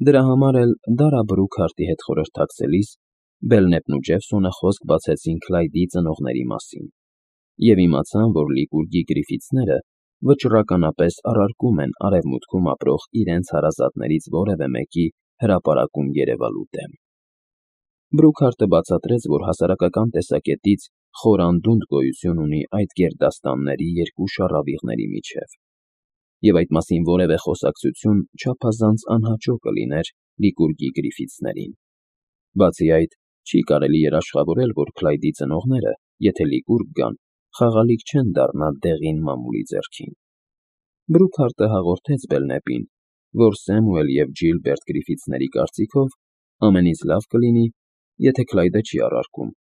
Դրա համար էլ Դարա Բրուքհարտի հետ խորհրդակցելիս Բելնեպն ու Ջեֆսոնը խոսք բացեցին Քլայդի ծնողների մասին և իմացան, որ Լիկուրգի Գրիֆիթսները վճռականապես առարկում են Արևմուտքում ապրող իրենց հարազատներից որևէ մեկի հրապարակում երևալու դեմ։ Բրուքհարտը բացատրեց, որ հասարակական տեսակետից խոր անդունդ գոյություն ունի այդ գերդաստանների երկու շառավիղների միջև, և այդ մասին որևէ խոսակցություն չափազանց անհաճո կլիներ Լիկուրգի Գրիֆիթսներին։ Բացի այդ, չի կարելի երաշխավորել, որ Քլայդի ծնողները, եթե Լիկուրգ գան, խաղալիք չեն դառնա դեղին մամուլի ձեռքին։ Բրուքհարտը հաղորդեց Բելնեպին, որ Սեմուել և Ջիլբերտ Գրիֆիթսների կարծիքով ամենից լավ կլինի, եթե Քլայդը չի առարկում,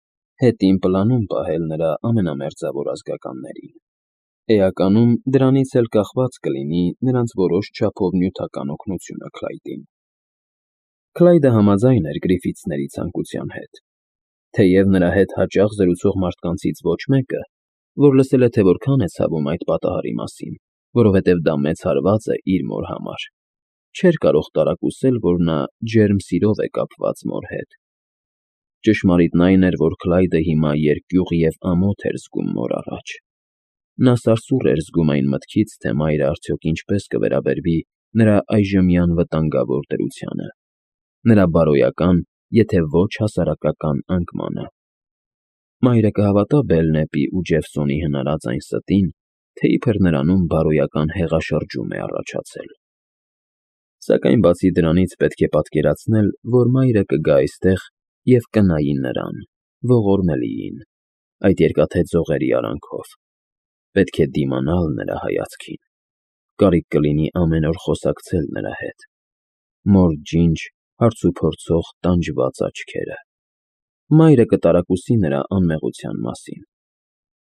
հետին պլանում պահել նրա ամենամերձավոր ազգականներին։ Էականում դրանից էլ կախված կլինի նրանց որոշ չափով նյութական օգնությունը Քլայդին։ Քլայդը համաձայն էր Գրիֆիթսների ցանկության հետ, թեև նրա հետ հաճախ զրուցող մարդկանցից ոչ մեկը, որ լսել է, թե որքան է ցավում այդ պատահարի մասին, որովհետև դա մեծ հարված է իր մոր համար, չէր կարող տարակուսել, որ նա ջերմ սիրով է կապված մոր հետ։ Ճշմարիտն այն էր, որ Քլայդը հիմա երկյուղ և ամոթ էր զգում մոր առաջ։ Նա սարսուռ էր զգում այն մտքից, թե մայրը արդյոք ինչպես կվերաբերվի նրա այժմյան վտանգավոր դրությանը, նրա բարոյական, եթե ոչ հասարակական անկմանը։ Մայրը կհավատա Բելնեպի ու Ջեֆսոնի հնարած այն ստին, թե իբր նրանում բարոյական հեղաշրջում է առաջացել։ Սակայն բացի դրանից պետք է պատկերացնել, որ մայրը կգա այստեղ և կնայի նրան, ողորմելիին, այդ երկաթե ձողերի արանքով։ Պետք է դիմանալ նրա հայացքին, կարիք կլինի ամեն օր խոսակցել նրա հետ։ Մոր ջինջ, հարցուփորձող տանջված աչքերը։ Մայրը կտարակուսի նրա անմեղության մասին,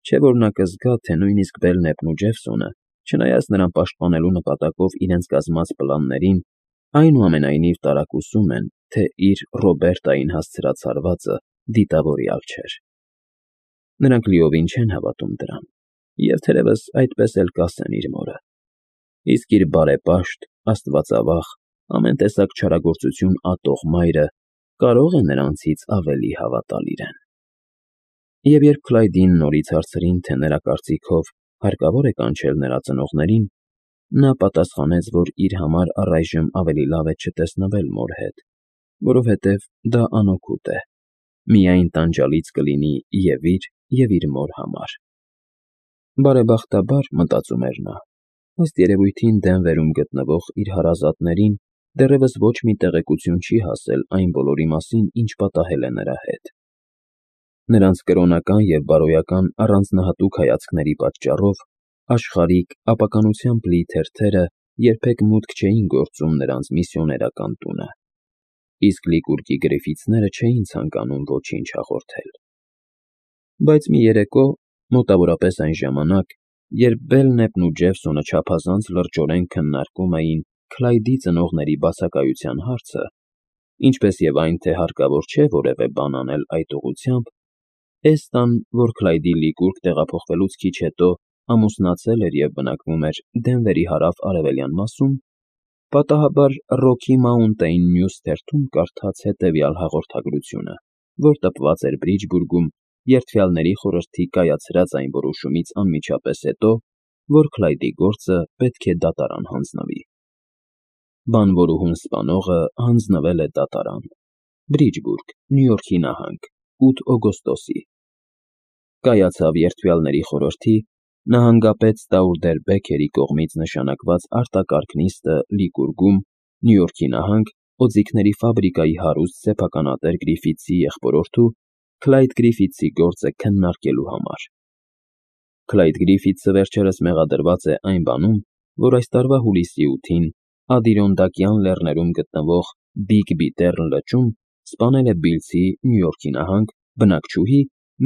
չէ՞ որ նա կզգա, թե նույնիսկ Բելնեպն ու Ջեֆսոնը, չնայած նրան պաշտպանելու նպատակով իրենց կազմած պլաններին, այնուամենայնիվ տարակուսում են, թե իր Ռոբերտային հասցրած հարվածը դիտավորյալ չէր։ Նրանք լիովին չեն հավատում դրան, և թերևս այդպես էլ կասեն իր մորը։ Իսկ իր բարեպաշտ, աստվածավախ, ամեն տեսակ չարագործություն ատող մայրը կարող է նրանցից ավելի հավատալ իրեն։ Եվ երբ Քլայդին նորից հարցրին, թե նրա կարծիքով հարկավոր է կանչել նրա ծնողներին, նա պատասխանեց, որ իր համար առայժմ ավելի լավ է չտեսնվել մոր հետ, որովհետև դա անօգուտ է, միայն տանջալից կլինի և իր մոր համար։ Բարեբախտաբար, մտածում էր նա, ըստ երևույթին Դենվերում գտնվող իր հարազատներին դեռևս ոչ մի տեղեկություն չի հասել այն բոլորի մասին, ինչ պատահել է նրա հետ։ Նրանց կրոնական և բարոյական առանձնահատուկ հայացքների պատճառով աշխարհիկ, ապականությամբ լի թերթերը երբեք մուտք չէին գործում նրանց միսիոներական տունը, իսկ Լիկուրգի Գրիֆիթսները չէին ցանկանում ոչինչ հաղորդել։ Բայց մի երեկո, մոտավորապես այն ժամանակ, երբ Բելնեպն ու Ջեֆսոնը չափազանց լրջորեն քննարկում էին Քլայդի ծնողների բացակայության հարցը, ինչպես և այն, թե հարկավոր չէ որևէ բան անել այդ ուղղությամբ, Էստան, որ Քլայդի Լիկուրգ տեղափոխվելուց քիչ հետո ամուսնացել էր և բնակվում էր Դենվերի հարավ֊արևելյան մասում, պատահաբար Ռոքի Մաունտեյն Նյուզ թերթում կարդաց հետևյալ հաղորդագրությունը, որ տպված էր Բրիջբուրգում Երդվյալների խորհրդի կայացրած այն որոշումից անմիջապես հետո, որ Քլայդի գործը պետք է դատարան հանձնվի։ Բանվորուհուն սպանողը հանձնվել է դատարան։ Բրիջբուրգ, Նյու Յորքի նահանգ, 8 օգոստոսի։ Կայացավ Երդվյալների խորհրդի նահանգապետ Ստաուրդերբեքերի կողմից նշանակված արտակարգ նիստը Լիկուրգում, Նյու Յորքի նահանգ, օձիքների ֆաբրիկայի հարուստ սեփականատեր Գրիֆիթսի եղբորորդու Քլայդ Գրիֆիթսի գործը քննարկելու համար։ Քլայդ Գրիֆիթսը վերջերս մեղադրված է այն բանում, որ այս տարվա հուլիսի 8-ին Ադիրոնդակյան լեռներում գտնվող Բիգ Բիտեռն լճում սպանել է բիլցի Նյու Յորքի նահանգ բնակչուհի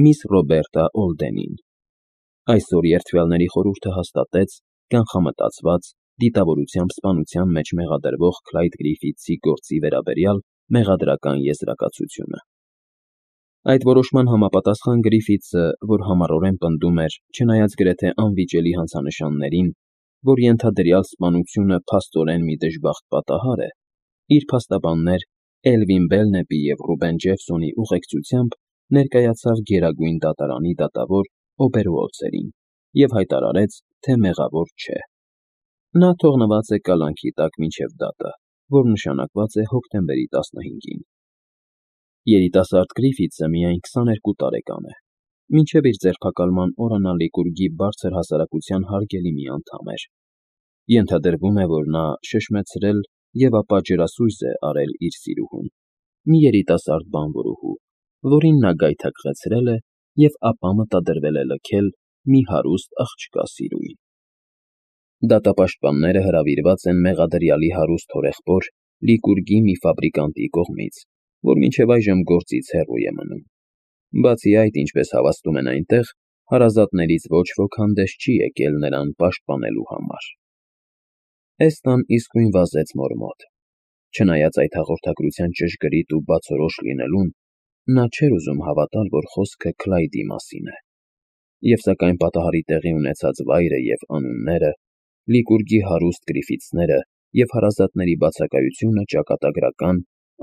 միս Ռոբերտա Օլդենին։ Այսօր Երդվյալների խորհուրդը հաստատեց կանխամտածված դիտավորությամբ սպանության մեջ մեղադրվող Քլայդ Գրիֆիթսի գործի վերաբերյալ մեղադրական եզրակացությունը։ Այդ որոշման համապատասխան Գրիֆիթսը, որ համառորեն պնդում էր, չնայած գրեթե անվիճելի հանցանշաններին, որ ենթադրյալ սպանությունը փաստորեն մի դժբախտ պատահար է, Իր փաստաբաններ Էլվին Բելնեպի և Ռուբեն Ջեֆսոնի ուղեկցությամբ ներկայացավ Գերագույն դատարանի դատավոր Օբերուոլցերին և հայտարարեց, թե մեղավոր չէ։ Նա թողնված է կալանքի տակ մինչև դատը, որ նշանակված է հոկտեմբերի 15-ին։ Երիտասարդ Գրիֆիթսը միայն 22 տարեկան է։ Մինչև իր ձերբակալման օրը նա Լիկուրգի բարձր հասարակության հարգելի մի անդամ էր։ Ենթադրվում է, որ նա շշմեցրել և ապա ջրասույզ է արել իր սիրուհուն, մի երիտասարդ բանվորուհու, որին նա գայթակղեցրել է և ապա մտադրվել է լքել մի հարուստ աղջկա սիրուին։ Դատապաշտպանները հրավիրված են մեղադրյալի հարուստ հորեղբոր Լիկուրգի մի ֆաբրիկանտի կողմից, որ մինչև այժմ գործից հեռու է մնում։ Բացի այդ, ինչպես հավաստում են այնտեղ, հարազատներից ոչ ոք հանդես չի եկել նրան պաշտպանելու համար։ Էստան իսկույն վազեց մոր մոտ։ Չնայած այդ հաղորդագրության ճշգրիտ ու բացորոշ լինելուն, նա չէր ուզում հավատալ, որ խոսքը Քլայդի մասին է։ Եվ սակայն պատահարի տեղի ունեցած վայրը և անունները, Լիկուրգի հարուստ Գրիֆիթսները և հարազատների բացակայությունը ճակատագրական,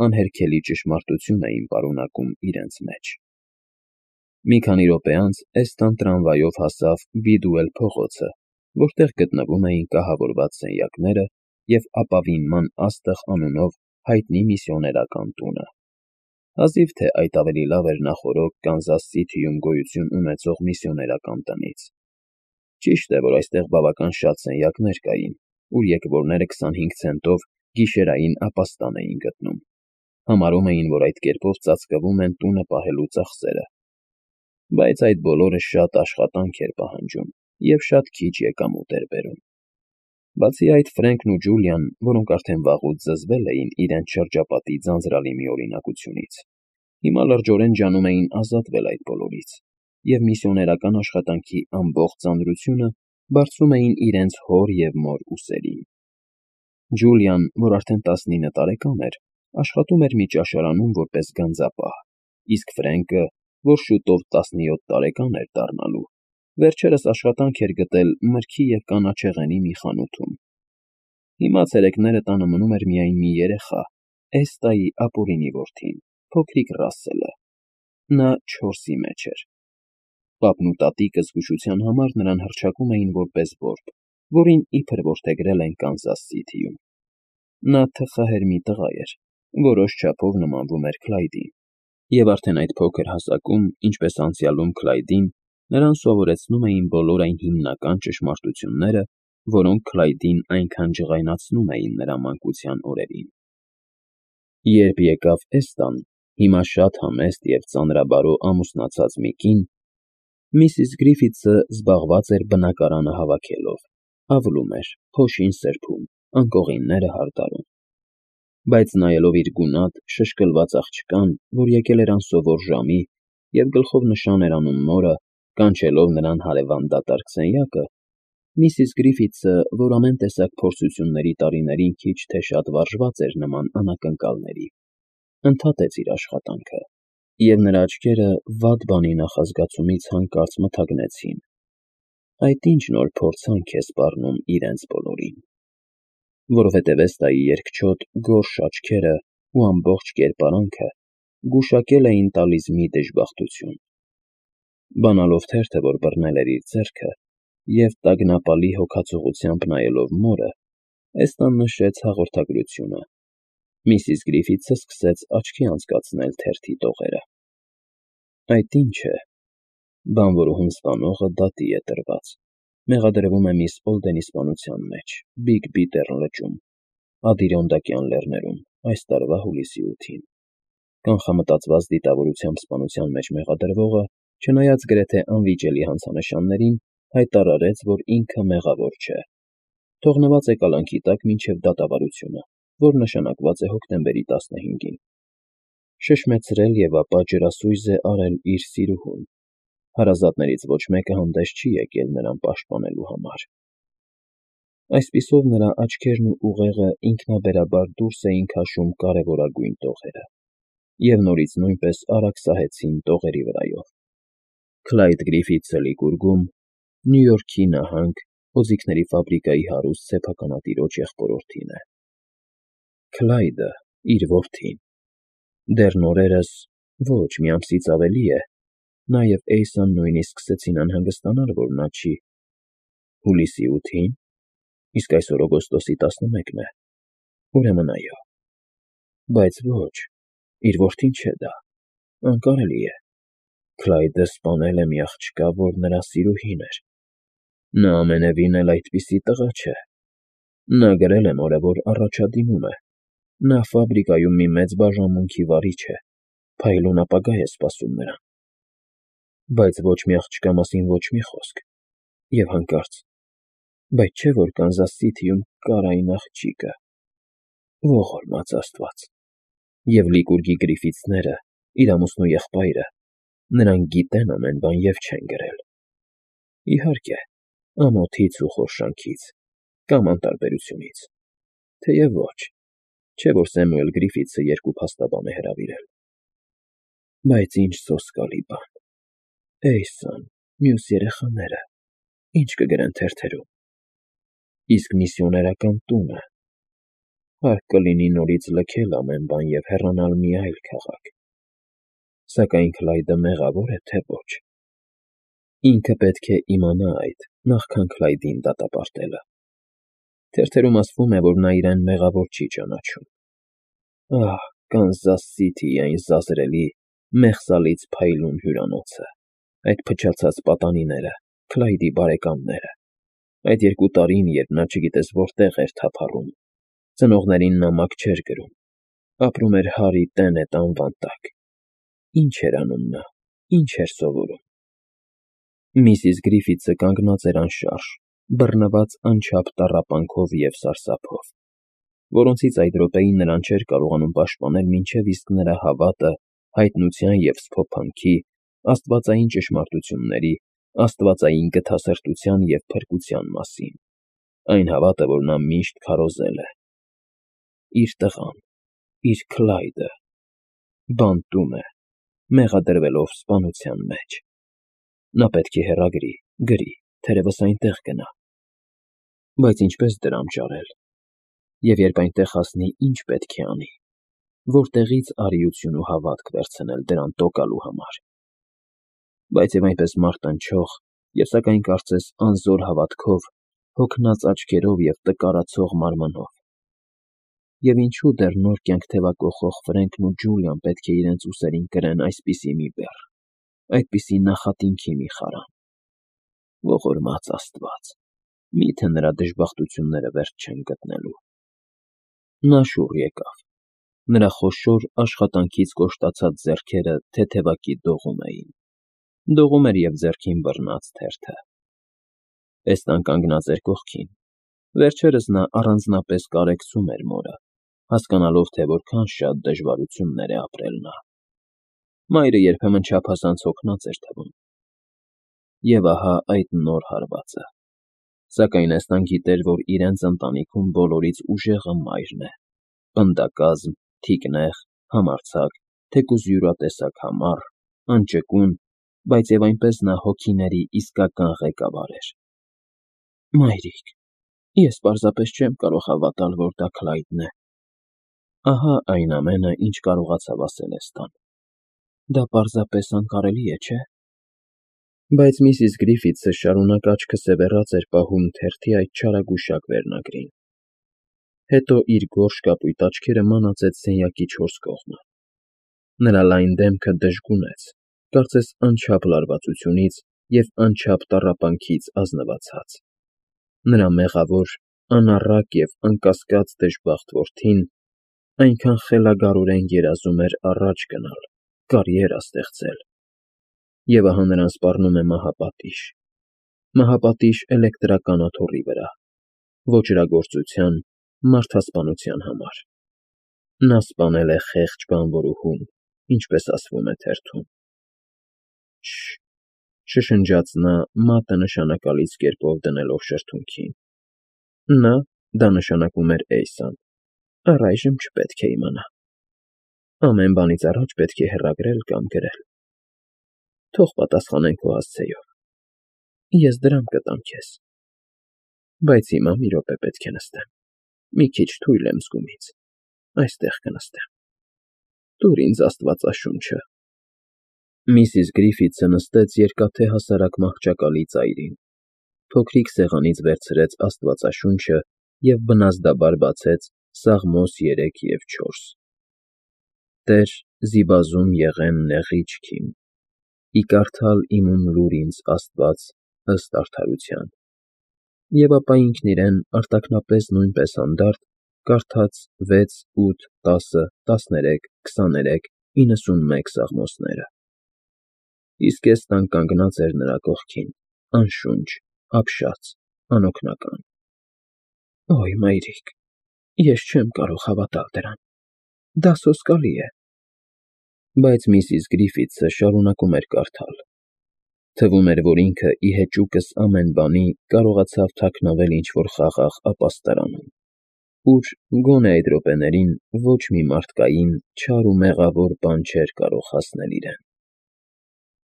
անհերքելի ճշմարտություն էին պարունակում իրենց մեջ։ Մի քանի րոպե անց Էստան տրամվայով հասավ Բիդուել փողոցը, որտեղ գտնվում էին կահավորված սենյակները և ապավինման աստղ անունով հայտնի միսիոներական տունը։ Հազիվ թե այդ ավելի լավ էր նախօրոք Կանզաս Սիթիում գոյություն ունեցող միսիոներական տնից։ Ճիշտ է, որ այստեղ բավական շատ սենյակներ կային, ուր եկվորները 25 ցենտով գիշերային ապաստան էին գտնում։ Համարում էին, որ այդ կերպով ծածկվում են տունը պահելու ծախսերը։ Բայց այդ բոլորը շատ աշխատանք էր պահանջում և շատ քիչ եկամուտ էր բերում։ Բացի այդ, Ֆրենքն ու Ջուլիան, որոնք արդեն վաղուց զզվել էին իրենց շրջապատի ձանձրալի միօրինակությունից, հիմա լրջորեն ջանում էին ազատվել այդ բոլորից և միսիոներական աշխատանքի ամբողջ ծանրությունը բարձում էին իրենց հոր և մոր ուսերին։ Ջուլիան, որ արդեն 19 տարեկան էր, աշխատում էր մի ճաշարանում որպես գանձապահ, իսկ Ֆրենկը, որ շուտով 17 տարեկան էր դառնալու, վերջերս աշխատանք էր գտել մրգի և կանաչեղենի մի խանութում։ Հիմա ցերեկները տանը մնում էր միայն մի երեխա՝ Էստայի ապուրինի որդին, փոքրիկ Ռասսելը։ Նա 4-ի մեջ էր։ Պապն ու տատիկը զգուշության համար նրան հռչակում էին որպես որբ, որին իբր որդեգրել են Կանզաս Սիթիում։ Նա թխահեր մի տղա էր, որոշ չափով նմանվում էր Քլայդին, և արդեն այդ փոքր հասակում, ինչպես անցյալում Քլայդին, նրան սովորեցնում էին բոլոր այն հիմնական ճշմարտությունները, որոնք Քլայդին այնքան ջղայնացնում էին նրա մանկության օրերին։ Երբ եկավ Էստան, հիմա շատ համեստ և ծանրաբարո ամուսնացած մի կին, միսիս Գրիֆիթսը զբաղված էր բնակարանը հավաքելով, ավլում էր, փոշին սրբում, անկողինները հարդարում։ Բայց նայելով իր գունատ, շշկլված աղջկան, որ եկել էր անսովոր ժամի և գլխով նշան էր անում մորը, կանչելով նրան հարևան դատարկ սենյակը, միսիս Գրիֆիթսը, որ ամեն տեսակ փորձությունների տարիներին քիչ թե շատ վարժված էր նման անակնկալների, ընդհատեց իր աշխատանքը, և նրա աչքերը վատ բանի նախազգացումից հանկարծ մթագնեցին. այդ ինչ նոր փորձանք է սպառնում իրենց բոլորին։ Որովհետև Էստայի երկչոտ, գորշ աչքերը ու ամբողջ կերպարանքը գուշակել էին տալիս մի դժբախտություն։ Բանալով թերթը, որ բռնել էր իր ձեռքը, և տագնապալի հոգացողությամբ նայելով մորը, Էստան նշեց հաղորդագրությունը։ Միսիս Գրիֆիթսը սկսեց աչքի անցկացնել թերթի տողերը։ Այդ ինչ է։ Բանվորուհուն սպանողը դատի է տրված։ Մեղադրվում է միս Օլդենի սպանության մեջ, Բիգ Բիթեռ լճում, Ադիրոնդակյան լեռներում, այս տարվա հուլիսի 8-ին։ Կանխամտածված դիտավորությամբ սպանության մեջ մեղադրվողը, չնայած գրեթե անվիճելի հանցանշաններին, հայտարարեց, որ ինքը մեղավոր չէ։ Թողնված է կալանքի տակ մինչև դատավարությունը, որ նշանակված է հոկտեմբերի 15-ին։ Շշմեցրել և ապա ջրասույզ է արել իր սիրուհուն։ Հարազատներից ոչ մեկը հանդես չի եկել նրան պաշտպանելու համար։ Այսպիսով նրա աչքերն ու ուղեղը ինքնաբերաբար դուրս էին քաշում կարևորագույն տողերը, և նորից նույնպես արագ սահեցին տողերի վրայով։ Քլայդ Գրիֆիթսը Լիկուրգում, Նյու Յորքի նահանգ, օձիքների ֆաբրիկայի հարուստ սեփականատիրոջ եղբորորդին է։ Քլայդը, իր որդին, դեռ նորերս, ոչ մի ամսից ավելի է, նա և Էյսան նույնիսկ սկսեցին անհանգստանալ, որ նա չի… Հուլիսի 8-ին, իսկ այսօր օգոստոսի 11-ն է, ուրեմն այո, բայց ոչ, իր որդին չէ դա, անկարելի է, Քլայդը սպանել է մի աղջկա, որ նրա սիրուհին էր, նա ամենևին էլ այդպիսի տղա չէ, նա գրել է մորը, որ առաջադիմում է, նա ֆաբրիկայում մի մեծ բաժանմունքի վարիչ է, փայլուն ապագա է սպասում նրան, բայց ոչ մի աղջկա մասին ոչ մի խոսք, և հանկարծ, բայց չէ՞ որ Կանզաս Սիթիում կար այն աղջիկը, ողորմած Աստված, և Լիկուրգի Գրիֆիթսները, իր ամուսնու եղբայրը, նրանք գիտեն ամեն բան և չեն գրել… Իհարկե, ամոթից ու խորշանքից, կամ անտարբերությունից, թեև ոչ, չէ որ Սեմուել Գրիֆիթսը երկու փաստաբան է հրավիրել… Բայց ինչ սոսկալի բան… Էյսան, մյուս երեխաները, ի՞նչ կգրեն թերթերում… Իսկ միսիոներական տունը… Հարկ կլինի նորից լքել ամեն բան և հեռանալ մի այլ քաղաք… Սակայն Քլայդը մեղավո՞ր է, թե ոչ… Ինքը պետք է իմանա այդ, նախքան Քլայդին դատապարտելը… Թերթերում ասվում է, որ նա իրեն մեղավոր չի ճանաչում… Ահ, Կանզաս Սիթիի այն զազրելի, մեղսալից փայլուն հյուրանոցը, այդ փչացած պատանիները, Քլայդի բարեկամները, այդ 2 տարին, երբ նա չգիտես որտեղ էր թափառում, ծնողներին նամակ չէր գրում, ապրում էր Հարի Տենետ անվան տակ… Ինչ էր անում նա, ինչ էր սովորում… Միսիս Գրիֆիթսը կանգնած էր անշարժ, բռնված անչափ տառապանքով և սարսափով, որոնցից այդ րոպեին նրան չէր կարողանում պաշտպանել մինչև իսկ նրա հավատը հայտնության և սփոփանքի, աստվածային ճշմարտությունների, աստվածային գթասրտության և փրկության մասին, այն հավատը, որ նա միշտ քարոզել է… Իր տղան, իր Քլայդը… բանտում է, մեղադրվելով սպանության մեջ… Նա պետք է հեռագրի, գրի, թերևս այնտեղ գնա… Բայց ինչպե՞ս դրամ ճարել… Եվ երբ այնտեղ հասնի, ի՞նչ պետք է անի… Որտեղի՞ց արիություն ու հավատք վերցնել դրան տոկալու համար… Բայց և այնպես մարտնչող և սակայն կարծես անզոր հավատքով, հոգնած աչքերով և տկարացող մարմնով… Եվ ինչո՞ւ դեռ նոր կյանք թևակոխող Ֆրենքն ու Ջուլիան պետք է իրենց ուսերին կրեն այսպիսի մի բեռ, այդպիսի նախատինքի մի խարան… Ողորմած Աստված… Մի՞թե նրա դժբախտությունները վերջ չեն գտնելու… Նա շուռ եկավ… Նրա խոշոր աշխատանքից կոշտացած ձեռքերը թեթևակի դողում էին… Դողում էր և ձեռքին բռնած թերթը… Էստան կանգնած էր կողքին… Վերջերս նա առանձնապես կարեկցում էր մորը, հասկանալով, թե որքան շատ դժվարություններ է ապրել նա… Մայրը երբեմն չափազանց հոգնած էր թվում… Եվ ահա այդ նոր հարվածը… Սակայն Էստան գիտեր, որ իրենց ընտանիքում բոլորից ուժեղը մայրն է… Պնդակազմ, թիկնեղ, համարձակ, թեկուզ յուրատեսակ համառ, անճկուն, բայց և այնպես նա հոգիների իսկական ղեկավար էր… Մայրիկ… Ես պարզապես չեմ կարող հավատալ, որ դա Քլայդն է… Ահա այն ամենը, ինչ կարողացավ ասել Էստան… Դա պարզապես անկարելի է, չէ՞… Բայց միսիս Գրիֆիթսը շարունակ աչքը սևեռած էր պահում թերթի այդ չարագուշակ վերնագրին… Հետո իր գորշ կապույտ աչքերը մանածեց սենյակի 4 կողմը… Նրա լայն դեմքը դժգունեց, կարծես անչափ լարվածությունից և անչափ տառապանքից ազնվացած… Նրա մեղավոր, անառակ և անկասկած դժբախտ որդին այնքան խելագարորեն երազում էր առաջ գնալ, կարիերա ստեղծել… Եվ ահա նրան սպառնում է մահապատիժ… Մահապատիժ էլեկտրական աթոռի վրա… Ոճրագործության, մարդասպանության համար… Նա սպանել է խեղճ բանվորուհուն, ինչպես ասվում է թերթում… Շ… շշնջաց նա, մատը նշանակալից կերպով դնելով շրթունքին… Նա, դա նշանակում էր Էյսան, առայժմ չպետք է իմանա… Ամեն բանից առաջ պետք է հեռագրել կամ գրել… Թող պատասխանեն քո հասցեով… Ես դրամ կտամ քեզ… Բայց հիմա մի րոպե պետք է նստեմ… Մի քիչ թույլ եմ զգումից… այստեղ կնստեմ։ Տուր ինձ աստվածաշունչը։ Միսիս Գրիֆիթսը նստեց երկաթե հասարակ մահճակալի ծայրին, փոքրիկ սեղանից վերցրեց աստվածաշունչը և բնազդաբար բացեց Սաղմոս 3 և 4. Տեր, զիբազում եղեմ նեղիչ քիմ, ի կարդալ իմում լուր ինձ Աստված ըստ արդարության։ Եվ ապա ինքն իրեն արտաքնապես նույնպես հանդարտ կարդաց 6, 8, 10, 13, 23, 91 սաղմոսները։ Իսկ ես տան կանգնած էր նրա կողքին, անշունչ, ապշած, անօգնական։ Օյ, մայրիկ, ես չեմ կարող հավատալ դրան, դա սոսկալի է։ Բայց միսիս Գրիֆիթսը շարունակում էր կարդալ։ Թվում էր, որ ինքը ի հեճուկս ամեն բանի կարողացավ թաքնավել ինչ-որ խաղաղ ապաստարանում, ուր գոնե այդ րոպեներին ոչ մի մարդկային, չար ու մեղավոր բան չէր կարող հասնել իրեն։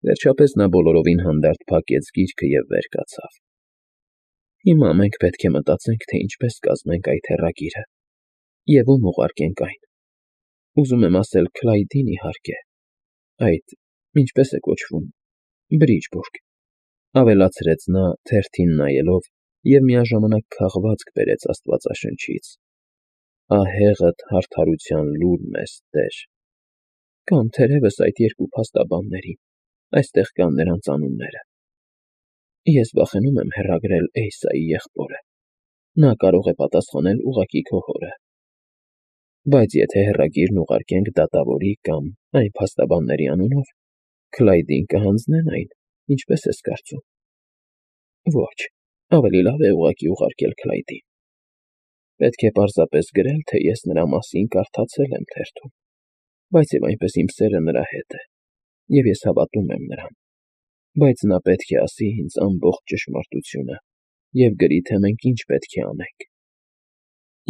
Վերջապես նա բոլորովին հանդարտ փակեց գիրքը և վեր կացավ։ Հիմա մենք պետք է մտածենք, թե ինչպես կազմենք այդ հեռագիրը և ում ուղարկենք այն։ Ուզում եմ ասել Քլայդին, իհարկե, այդ, ինչպես է կոչվում, Բրիջբուրգ, ավելացրեց նա թերթին նայելով և միաժամանակ քաղվածք բերեց աստվածաշնչից. Ահեղդ արդարության լուր մեզ, Տեր։ Կամ թերևս այդ երկու փաստաբանների, այստեղ կան նրանց անունները։ Ես վախենում եմ հեռագրել Էյսայի եղբորը, նա կարող է պատասխանել ուղղակի քո հորը։ Բայց եթե հեռագիրն ուղարկենք դատավորի կամ այն փաստաբանների անունով, Քլայդին կհանձնեն այն, ինչպես ես կարծում։ Ոչ, ավելի լավ է ուղղակի ուղարկել Քլայդին։ Պետք է պարզապես գրել, թե ես նրա մասին կարդացել եմ թերթում, բայց և այնպես իմ սերը նրա հետ է, և ես հավատում եմ նրան, բայց նա պետք է ասի ինձ ամբողջ ճշմարտությունը և գրի, թե մենք ինչ պետք է անենք։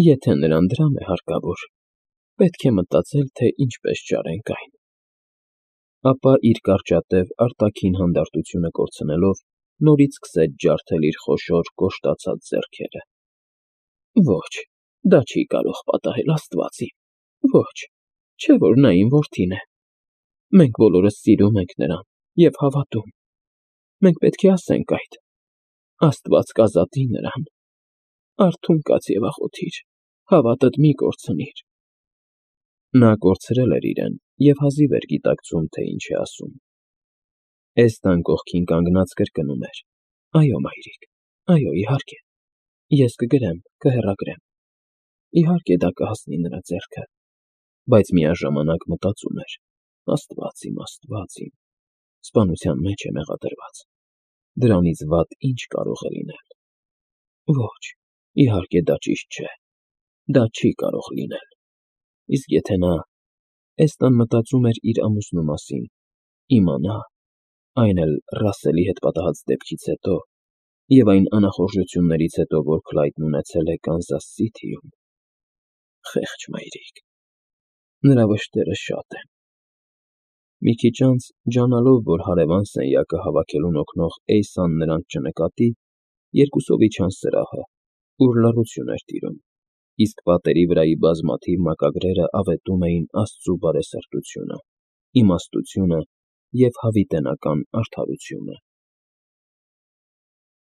Եթե նրան դրամ է հարկավոր, պետք է մտածել, թե ինչպես ճարենք այն։ Ապա իր կարճատև արտաքին հանդարտությունը կորցնելով, նորից սկսեց ջարդել իր խոշոր կոշտացած ձեռքերը։ Ոչ, դա չի կարող պատահել, Աստված իմ, ոչ, չէ՞ որ նա իմ որդին է։ Մենք բոլորս սիրում ենք նրան և հավատում։ Մենք պետք է ասենք այդ։ Աստված կազատի նրան։ Արթուն կաց և աղոթիր, հավատդ մի կորցնիր։ Նա կորցրել էր իրեն և հազիվ էր գիտակցում, թե ինչ է ասում։ Էստան կողքին կանգնած կրկնում էր. Այո, մայրիկ, այո, իհարկե, ես կգրեմ, կհեռագրեմ։ Իհարկե դա կհասնի նրա ձեռքը, բայց միաժամանակ մտածում էր. Աստված իմ, սպանության մեջ է մեղադրված։ Դրանից վատ ինչ կարող է լինել։ Ոչ, իհարկե դա ճիշտ չէ։ Դա չի կարող լինել։ Իսկ եթե նա, Էստան մտածում էր իր ամուսնու մասին, իմանա, այն էլ Ռասսելի հետ պատահած դեպքից հետո և այն անախորժություններից հետո, որ Քլայդն ունեցել է Կանզաս Սիթիում… Խեղճ մայրիկ… Նրա վշտերը շատ են։ Մի քիչ անց, ջանալով, որ հարևան սենյակը հավաքելուն օգնող Էյսան նրանց չնկատի, երկուսով իջան սրահը, ուր լռություն էր տիրում, իսկ պատերի վրայի բազմաթիվ մակագրերը ավետում էին Աստծու բարեսրտությունը, իմաստությունը և հավիտենական արդարությունը։